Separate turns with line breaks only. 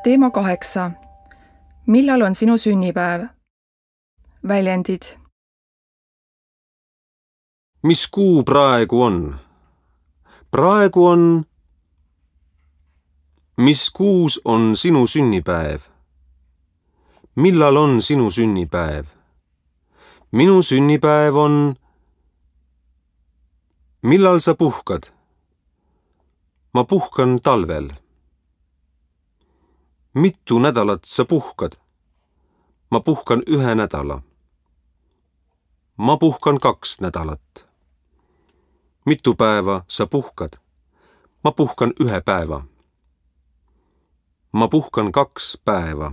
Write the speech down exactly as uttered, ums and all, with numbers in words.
Teema kaheksa. Millal on sinu sünnipäev? Väljendid.
Mis kuu praegu on? Praegu on... Mis kuus on sinu sünnipäev? Millal on sinu sünnipäev? Minu sünnipäev on... Millal sa puhkad? Ma puhkan talvel. Mitu nädalat sa puhkad? Ma puhkan ühe nädala. Ma puhkan kaks nädalat. Mitu päeva sa puhkad? Ma puhkan ühe päeva. Ma puhkan kaks päeva.